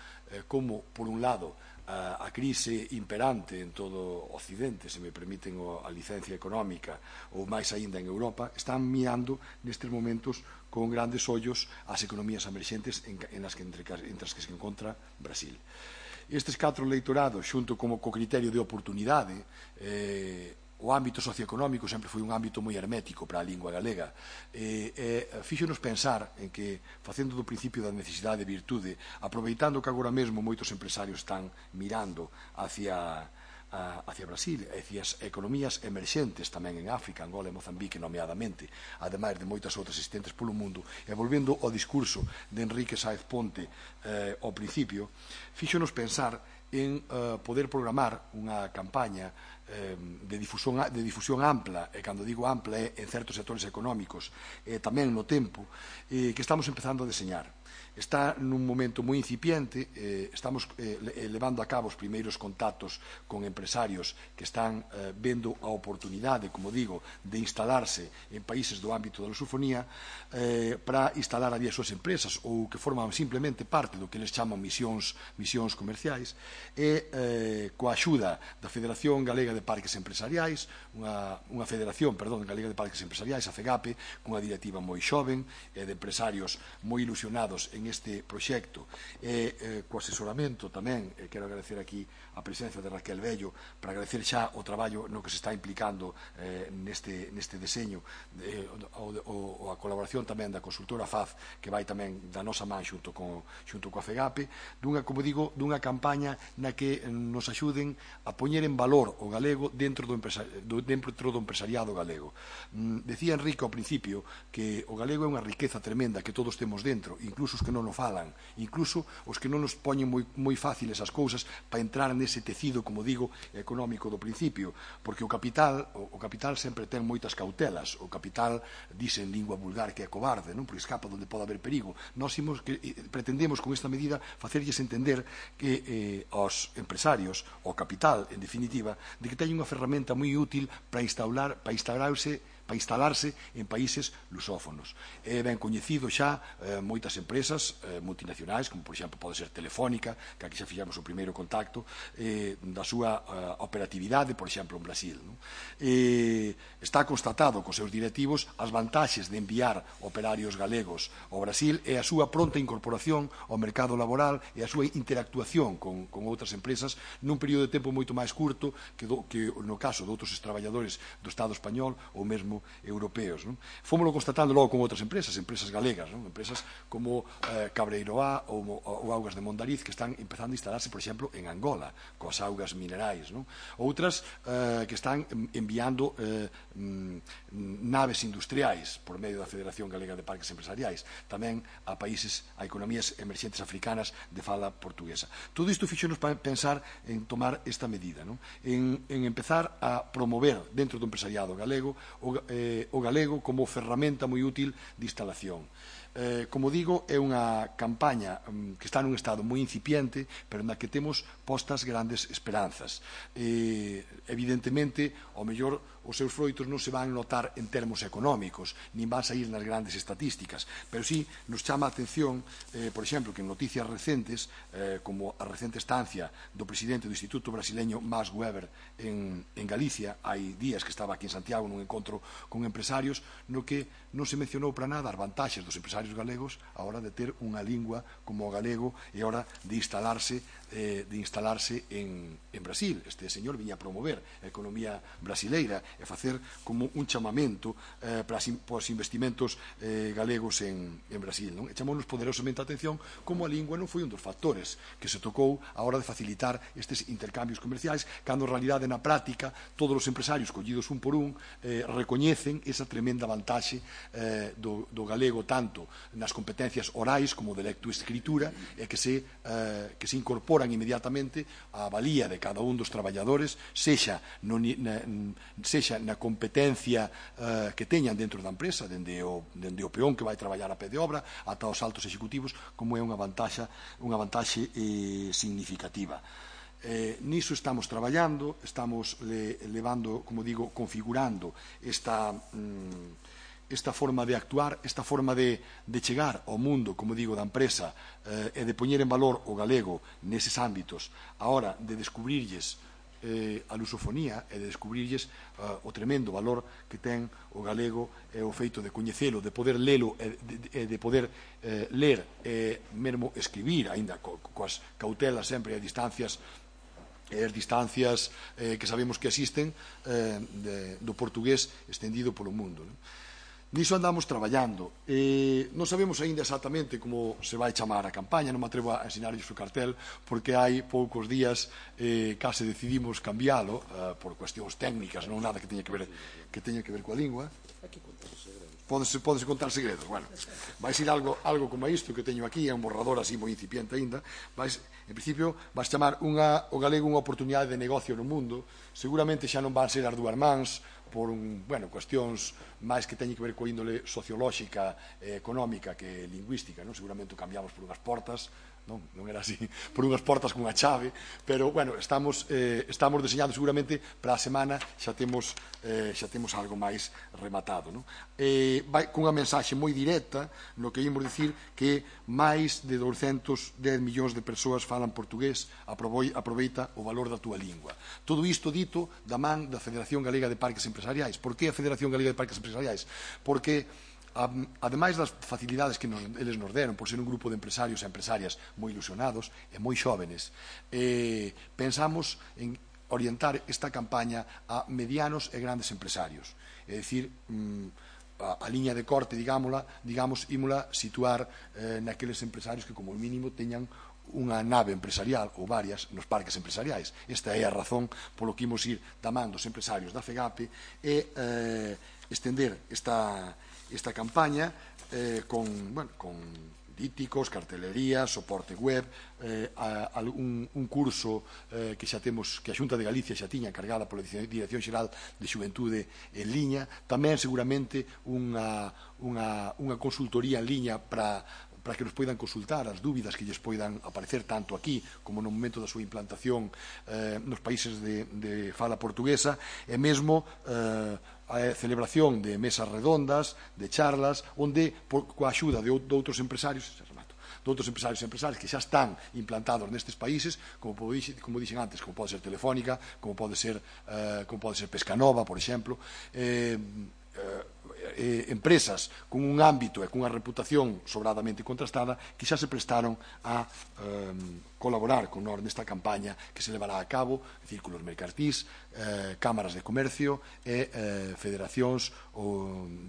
como, por un lado, a crise imperante en todo o Occidente, se me permiten a licencia económica, ou máis aínda en Europa, están mirando nestes momentos con grandes ollos as economías emerxentes entre as que se encontra Brasil. Estes 4 leitorados, xunto co criterio de oportunidade, o ámbito socioeconómico sempre foi un ámbito moi hermético para a lingua galega, fíxonos pensar en que, facendo do principio da necesidade de virtude, aproveitando que agora mesmo moitos empresarios están mirando hacia Brasil, hacia as economías emerxentes tamén en África, Angola e Mozambique nomeadamente, ademais de moitas outras existentes polo mundo, e volvendo ao discurso de Enrique Sáez Ponte ao principio, fíxonos pensar en poder programar unha campaña de difusión ampla, e cando digo ampla é en certos sectores económicos, e tamén no tempo, que estamos empezando a deseñar. Está nun momento moi incipiente, estamos levando a cabo os primeiros contactos con empresarios que están vendo a oportunidade, como digo, de instalarse en países do ámbito da lusofonía para instalar ali as súas empresas ou que forman simplemente parte do que eles chaman misións comerciais, e coa axuda da Federación Galega de Parques Empresariais, unha Federación, Galega de Parques Empresariais, a FEGAPE, cunha directiva moi xoven e de empresarios moi ilusionados en este proxecto, e co asesoramento tamén, quero agradecer aquí a presencia de Raquel Bello para agradecer xa o traballo no que se está implicando neste deseño, ou a colaboración tamén da consultora FAZ, que vai tamén da nosa man xunto coa FEGAPE, como digo, dunha campaña na que nos axuden a poñer en valor o galego dentro do empresariado galego. Decía Enrique ao principio que o galego é unha riqueza tremenda que todos temos dentro, incluso os que non o falan, incluso os que non nos poñen moi fáciles as cousas para entrar nese tecido, como digo, económico do principio, porque o capital sempre ten moitas cautelas. O capital dice en lingua vulgar que é cobarde, non? Porque escapa onde pode haber perigo. Nós pretendemos con esta medida facerlles entender que aos empresarios, ao capital, en definitiva, de que teñen unha ferramenta moi útil para instalarse en países lusófonos. É ben coñecido xa moitas empresas multinacionais, como por exemplo pode ser Telefónica, que aquí xa fixamos o primeiro contacto, da súa operatividade, por exemplo, en Brasil. Está constatado cos seus directivos as vantaxes de enviar operarios galegos ao Brasil e a súa pronta incorporación ao mercado laboral e a súa interactuación con outras empresas nun período de tempo moito máis curto que no caso de outros traballadores do Estado español ou mesmo europeos. Fómolo constatando logo con outras empresas galegas, empresas como Cabreiroá ou Augas de Mondariz, que están empezando a instalarse, por exemplo, en Angola, coas augas minerais. Outras que están enviando naves industriais por medio da Federación Galega de Parques Empresariais, tamén a economías emerxentes africanas de fala portuguesa. Todo isto fixonos pensar en tomar esta medida, en empezar a promover dentro do empresariado galego o galego como ferramenta moi útil de instalación. Como digo, é unha campaña que está nun estado moi incipiente, pero na que temos postas grandes esperanzas. Evidentemente, ao mellor, os seus froitos non se van notar en termos económicos, nin van sair nas grandes estatísticas, pero sí nos chama a atención, por exemplo, que en noticias recentes, como a recente estancia do presidente do Instituto Brasileño Max Weber en Galicia, hai días que estaba aquí en Santiago nun encontro con empresarios, no que non se mencionou para nada as vantaxes dos empresarios galegos a hora de ter unha lingua como o galego e a hora de instalarse de instalarse en Brasil. Este señor viña a promover a economía brasileira e facer como un chamamento para os investimentos galegos en Brasil. E chamounos poderosamente a atención como a lingua non foi un dos factores que se tocou a hora de facilitar estes intercambios comerciais, cando en realidade na práctica todos os empresarios collidos un por un recoñecen esa tremenda vantaxe do galego tanto nas competencias orais como de lectoescritura e que se incorporan inmediatamente á valía de cada un dos traballadores, sexa na competencia que teñan dentro da empresa, dende o peón que vai traballar a pé de obra ata os altos executivos, como é unha vantaxe significativa. Niso estamos traballando, estamos levando, como digo, configurando esta forma de actuar, esta forma de chegar ao mundo, como digo, da empresa e de poñer en valor o galego neses ámbitos, a hora de descubrirlles a lusofonía e de descubrirlles o tremendo valor que ten o galego e o feito de coñecelo, de poder lelo e de poder ler e mesmo escribir, aínda coas cautelas sempre e as distancias que sabemos que existen do portugués estendido polo mundo. Niso andamos traballando. Non sabemos aínda exactamente como se vai chamar a campaña, non me atrevo a ensinarlles o cartel, porque hai poucos días case decidimos cambiálo por cuestións técnicas, non nada que teña que ver coa lingua. Pódense contar segredos. Bueno, vai ser algo como isto que teño aquí, é un borrador así moi incipiente aínda. En principio, vais chamar o galego unha oportunidade de negocio no mundo. Seguramente xa non van ser as dúas mans, por cuestións máis que teñen que ver coa índole sociolóxica e económica que lingüística, seguramente o cambiamos por unhas portas, non era así, por unhas portas cunha chave, pero, estamos deseñando seguramente para a semana xa temos algo máis rematado. Vai cunha mensaxe moi directa no que imos dicir que máis de 210 millóns de persoas falan portugués, aproveita o valor da túa lingua. Todo isto dito da man da Federación Galega de Parques Empresariais. Por que a Federación Galega de Parques Empresariais? Porque ademais das facilidades que eles nos deron por ser un grupo de empresarios e empresarias moi ilusionados e moi xóvenes, pensamos en orientar esta campaña a medianos e grandes empresarios. É dicir, a liña de corte, ímola situar naqueles empresarios que como mínimo teñan unha nave empresarial ou varias nos parques empresariais. Esta é a razón polo que imos ir da man dos empresarios da FEGAPE e estender esta campaña con díticos, cartelería, soporte web, un curso que xa temos, que a Xunta de Galicia xa tiña encargada pola Dirección Xeral de Xuventude en liña, tamén seguramente unha consultoría en liña para que nos poidan consultar as dúbidas que lles poidan aparecer tanto aquí como no momento da súa implantación nos países de fala portuguesa, e mesmo a celebración de mesas redondas, de charlas, onde, coa axuda de outros empresarios e empresarias que xa están implantados nestes países, como dixen antes, como pode ser Telefónica, como pode ser Pescanova, por exemplo, empresas con un ámbito e cunha reputación sobradamente contrastada que xa se prestaron a colaborar con nós nesta campaña que se levará a cabo círculos mercantís, cámaras de comercio e federacións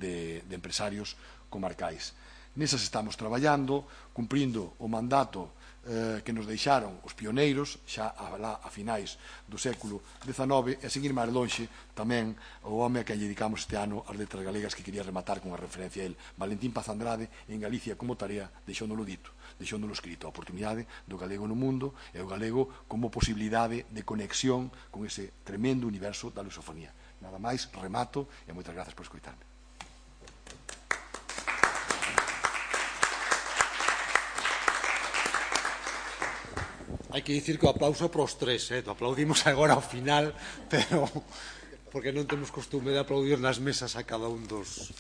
de empresarios comarcais. Nesas estamos traballando, cumprindo o mandato que nos deixaron os pioneiros xa a finais do século XIX, e a seguir máis lonxe tamén o home a que lle dedicamos este ano as letras galegas, que quería rematar con unha referencia a él, Valentín Paz Andrade, en Galicia como tarea deixóndolo dito, deixóndolo escrito, a oportunidade do galego no mundo e o galego como posibilidade de conexión con ese tremendo universo da lusofonía. Nada máis, remato e moitas grazas por escoitarme. Hai que dicir que o aplauso para os tres, aplaudimos agora ao final, pero porque non temos costume de aplaudir nas mesas a cada un dos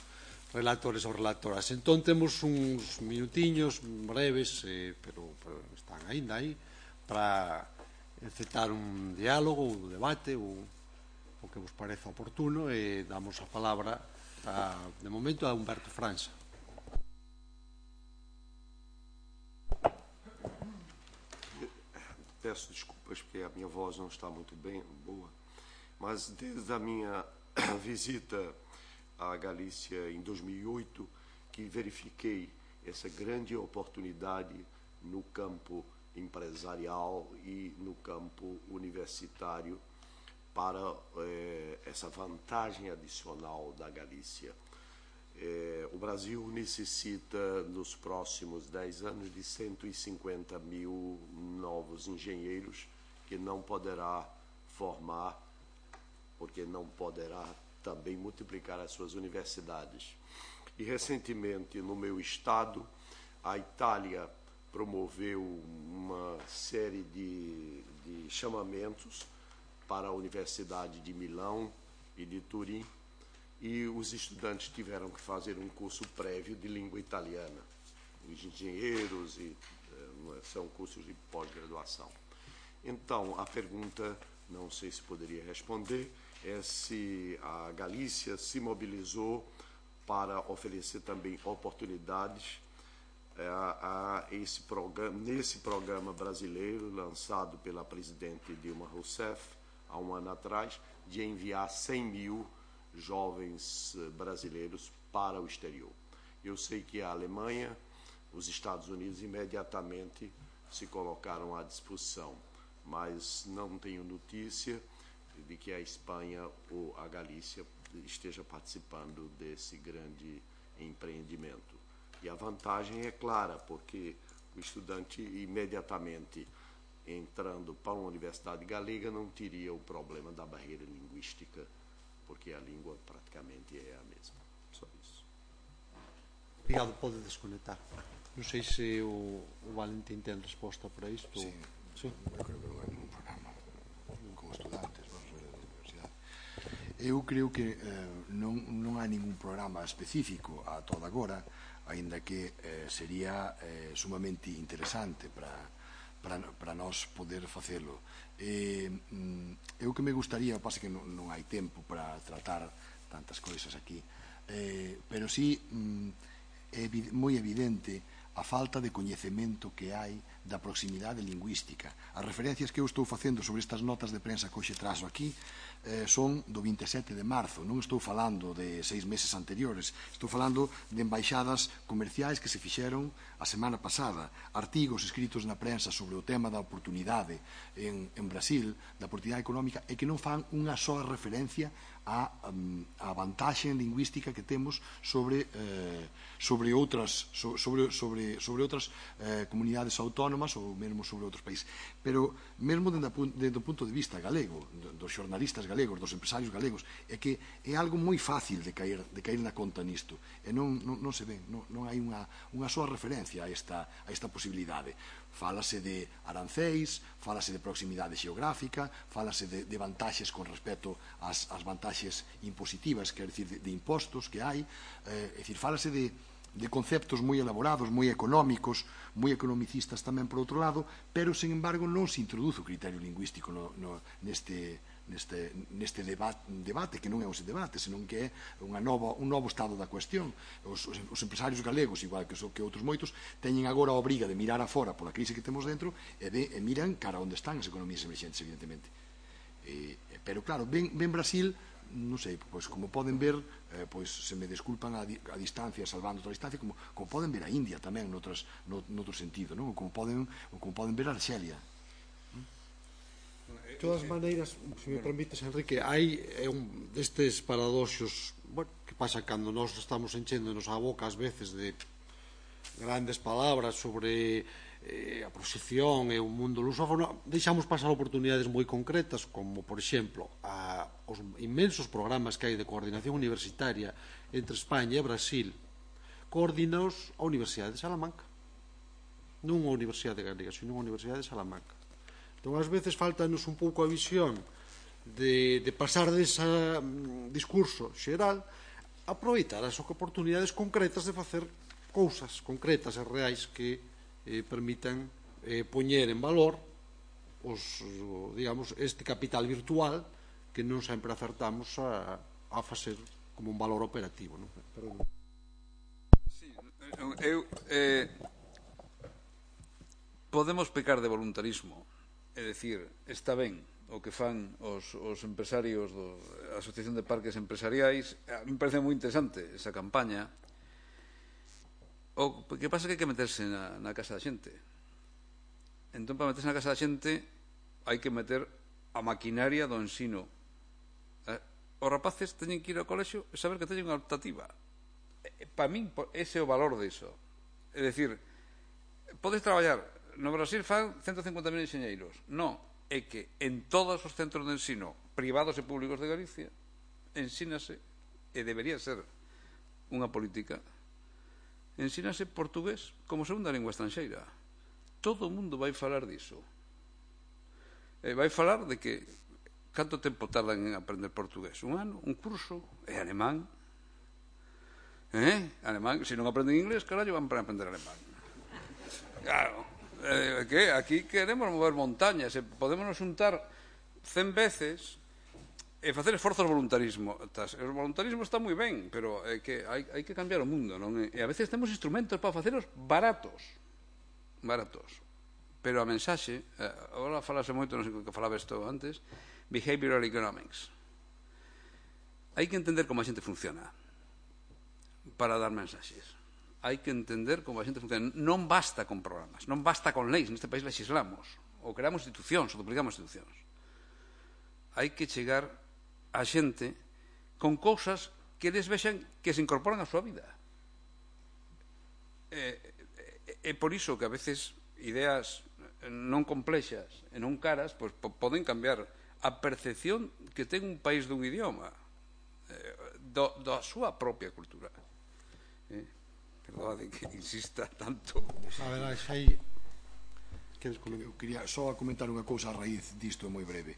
relatores ou relatoras. Entón temos uns minutiños breves, pero están aínda aí, para encetar un diálogo, un debate, o que vos pareza oportuno, e damos a palabra, de momento, a Humberto França. peço desculpas porque a minha voz não está muito bem, boa, mas desde a minha visita à Galícia em 2008, que verifiquei essa grande oportunidade no campo empresarial e no campo universitário para essa vantagem adicional da Galícia. O Brasil necessita, nos próximos 10 anos, de 150 mil novos engenheiros que não poderá formar, porque não poderá também multiplicar as suas universidades. E, recentemente, no meu estado, a Itália promoveu uma série de chamamentos para a Universidade de Milão e de Turim, e os estudantes tiveram que fazer um curso prévio de língua italiana. Os engenheiros são cursos de pós-graduação. Então, a pergunta, não sei se poderia responder, é se a Galícia se mobilizou para oferecer também oportunidades nesse programa brasileiro lançado pela presidente Dilma Rousseff há um ano atrás, de enviar 100 mil jovens brasileiros para o exterior. Eu sei que a Alemanha, os Estados Unidos imediatamente se colocaram à disposição, mas não tenho notícia de que a Espanha ou a Galícia esteja participando desse grande empreendimento. E a vantagem é clara, porque o estudante imediatamente entrando para uma universidade galega não teria o problema da barreira linguística, porque a língua praticamente é a mesma. Só isso. Obrigado, pode desconectar. Não sei se o Valentim tem resposta para isto. Sim, sim. Eu creo que non é un programa con estudantes, vamos ver a universidade. Eu creo que non hai ningún programa específico a toda agora, aínda que sería sumamente interesante para nós poder facelo. Eu que me gustaría, pasa que non hai tempo para tratar tantas cousas aquí, pero sí é moi evidente a falta de coñecemento que hai da proximidade lingüística. As referencias que eu estou facendo sobre estas notas de prensa que hoxe trazo aquí son do 27 de marzo, non estou falando de 6 meses anteriores, estou falando de embaixadas comerciais que se fixeron a semana pasada, artigos escritos na prensa sobre o tema da oportunidade en Brasil, da oportunidade económica, e que non fan unha soa referencia a vantaxe lingüística que temos sobre outras comunidades autónomas ou mesmo sobre outros países. Pero mesmo dentro do punto de vista galego, dos xornalistas galegos, dos empresarios galegos, é que é algo moi fácil de caer na conta nisto, e non se ven, non hai unha soa referencia a esta posibilidade. Fálase de aranceis, fálase de proximidade xeográfica, fálase de vantaxes con respecto ás vantaxes impositivas, quer dicir, de impostos que hai, é dicir, fálase de conceptos moi elaborados, moi económicos, moi economicistas tamén por outro lado, pero, sen embargo, non se introduce o criterio lingüístico neste debate, que non é un debate, senón que é un novo estado da cuestión. Os empresarios galegos, igual que outros moitos, teñen agora a obriga de mirar afora pola crise que temos dentro e miran cara onde están as economías emerxentes, evidentemente. Pero, claro, ven Brasil, non sei, pois como poden ver, pois se me desculpan a distancia, salvando outra distancia, como poden ver a India tamén noutro sentido, non? Ou como poden ver a Arxelia. De todas maneiras, se me permites, Enrique, hai destes paradoxos que pasa cando nós estamos enchéndonos a boca ás veces de grandes palabras sobre a proxección e o mundo lusófono, deixamos pasar oportunidades moi concretas, como, por exemplo, os inmensos programas que hai de coordinación universitaria entre España e Brasil, coordinaos a Universidade de Salamanca, non a Universidade Galega, sino a Universidade de Salamanca. Entón, ás veces faltanos un pouco a visión de pasar dese discurso xeral, aproveitar as oportunidades concretas de facer cousas concretas e reais que permitan poñer en valor este capital virtual que non sempre acertamos a facer como un valor operativo. Podemos pecar de voluntarismo, é dicir, está ben o que fan os empresarios da Asociación de Parques Empresariais. A mí me parece moi interesante esa campaña. O que pasa é que hai que meterse na casa da xente. Entón, para meterse na casa da xente hai que meter a maquinaria do ensino. Os rapaces teñen que ir ao colexio e saber que teñen unha optativa. Para min, ese é o valor diso. É dicir, podes traballar. No Brasil fan 150.000 enxeñeiros. Non, é que en todos os centros de ensino privados e públicos de Galicia ensínase, e debería ser unha política, ensínase portugués como segunda lingua estranxeira. Todo o mundo vai falar diso. Vai falar de que canto tempo tardan en aprender portugués? Un ano, un curso, e alemán. Alemán, se non aprenden inglés, carallo, van para aprender alemán. Claro, que aquí queremos mover montañas, e podemos xuntar 100 veces e facer esforzos de voluntarismo. O voluntarismo está moi ben, pero é que hai que cambiar o mundo, non? E a veces temos instrumentos para faceros baratos. Pero a mensaxe, agora falase moito, non sei que falaba isto antes, behavioral economics. Hai que entender como a xente funciona para dar mensaxes. Hai que entender como a xente funciona. Non basta con programas, non basta con leis. Neste país legislamos, ou creamos institucións, ou duplicamos institucións. Hai que chegar a xente con cousas que eles vexan que se incorporan á súa vida. É por iso que a veces ideas non complexas e non caras poden cambiar a percepción que ten un país dun idioma, da súa propia cultura. Perdón que insista tanto. A ver, aí eu quería só comentar unha cousa a raíz disto, é moi breve.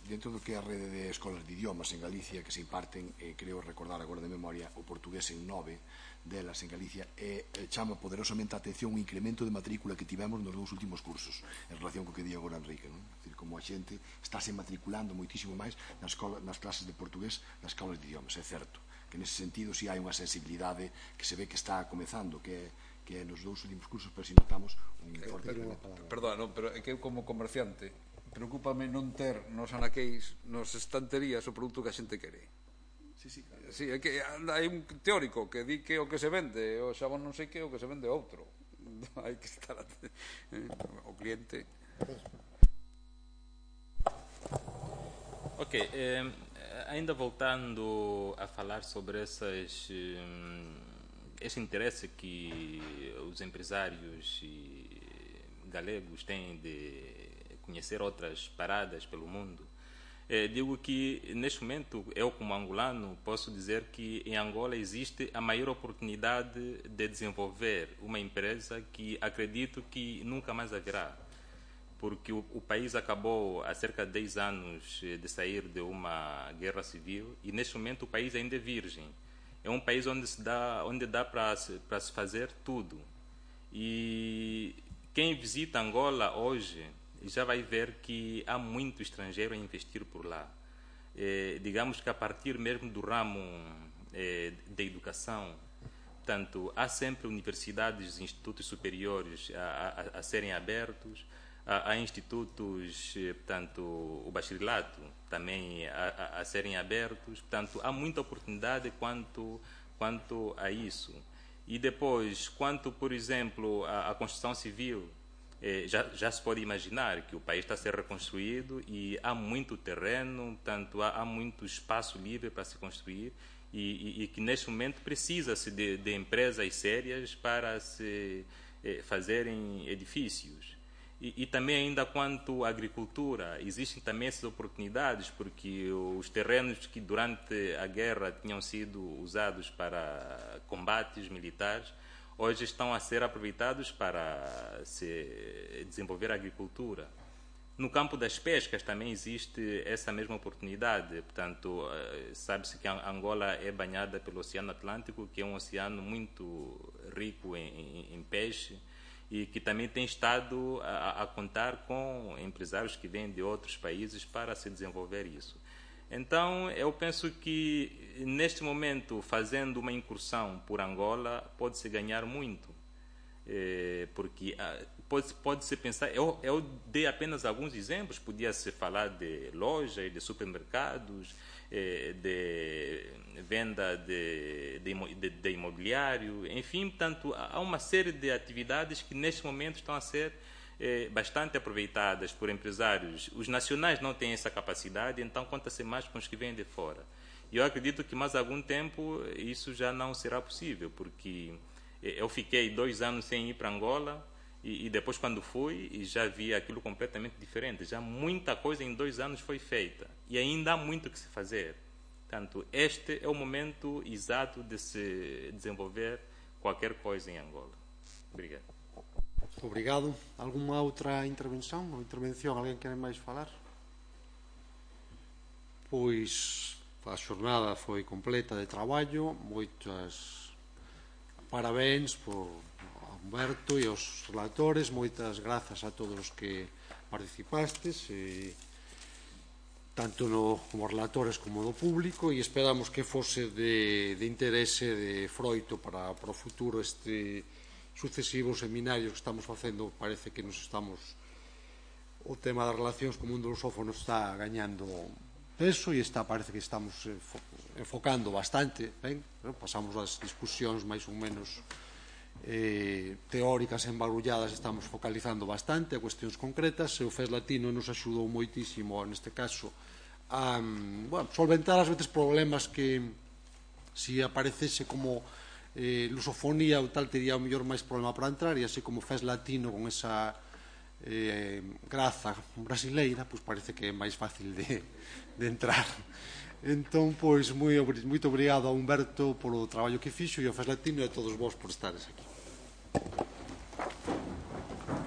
Dentro do que é a rede de escolas de idiomas en Galicia que se imparten, creo recordar agora de memoria, o portugués en 9 delas en Galicia, chama poderosamente a atención o incremento de matrícula que tivemos nos 2 últimos cursos en relación co que di agora Enrique, non? É dicir, como a xente estáse matriculando moitísimo máis nas clases de portugués nas escolas de idiomas. É certo que nese sentido si hai unha sensibilidade que se ve que está comezando, que nos 2 últimos cursos, pero si notamos un forte incremento. Perdón, pero é que eu como comerciante preocúpame non ter nos anaqueis, nos estanterías o produto que a xente quere. Sí, é que hai un teórico que di que o que se vende o xabón non sei que o que se vende outro. Hai que estar o cliente. Ok, ainda voltando a falar sobre esse interesse que os empresários galegos têm de conhecer outras paradas pelo mundo, digo que neste momento eu como angolano posso dizer que em Angola existe a maior oportunidade de desenvolver uma empresa que acredito que nunca mais haverá, porque o país acabou há cerca de 10 anos de sair de uma guerra civil e neste momento o país ainda é virgem. É um país onde dá para se fazer tudo. E quem visita Angola hoje já vai ver que há muito estrangeiro a investir por lá. Digamos que a partir mesmo do ramo da educação, portanto, há sempre universidades e institutos superiores a serem abertos, há institutos, portanto, o bacharelato também a serem abertos, portanto, há muita oportunidade quanto a isso. E depois, quanto, por exemplo, à construção civil, já se pode imaginar que o país está a ser reconstruído e há muito terreno, portanto, há muito espaço livre para se construir e que neste momento precisa-se de empresas sérias para se fazerem edifícios. E também ainda quanto à agricultura, existem também essas oportunidades, porque os terrenos que durante a guerra tinham sido usados para combates militares, hoje estão a ser aproveitados para se desenvolver a agricultura. No campo das pescas também existe essa mesma oportunidade. Portanto, sabe-se que Angola é banhada pelo Oceano Atlântico, que é um oceano muito rico em peixe e que também tem estado a contar com empresários que vêm de outros países para se desenvolver isso. Então, eu penso que, neste momento, fazendo uma incursão por Angola, pode-se ganhar muito, porque pode-se pensar, eu dei apenas alguns exemplos, podia-se falar de lojas, de supermercados, de venda de imobiliário, enfim, portanto, há uma série de atividades que neste momento estão a ser bastante aproveitadas por empresários. Os nacionais não têm essa capacidade, então conta-se mais com os que vêm de fora. E eu acredito que mais algum tempo isso já não será possível, porque eu fiquei 2 anos sem ir para Angola e depois quando fui já vi aquilo completamente diferente. Já muita coisa em 2 anos foi feita e ainda há muito que se fazer. Portanto, este é o momento exato de se desenvolver qualquer coisa em Angola. Obrigado. Obrigado. Alguma outra intervenção ou intervención? Alguén quere máis falar? Pois a xornada foi completa de traballo. Moitas parabéns por Humberto e aos relatores. Moitas grazas a todos os que participastes, tanto como relatores como do público, e esperamos que fose de interese, de froito para o futuro sucesivos seminarios que estamos facendo. Parece que o tema das relacións co mundo lusófono está gañando peso e parece que estamos enfocando bastante ben. Pasamos as discusións máis ou menos teóricas embarulladas, estamos focalizando bastante a cuestións concretas, e o FES Latino nos axudou moitísimo neste caso a solventar ás veces problemas que se aparecese como lusofonía ou tal tería o mellor máis problema para entrar, e así como FES Latino con esa graza brasileira, pois parece que é máis fácil de entrar. Entón, pois, moito obrigado a Humberto polo traballo que fixo e ao FES Latino e a todos vós por estares aquí.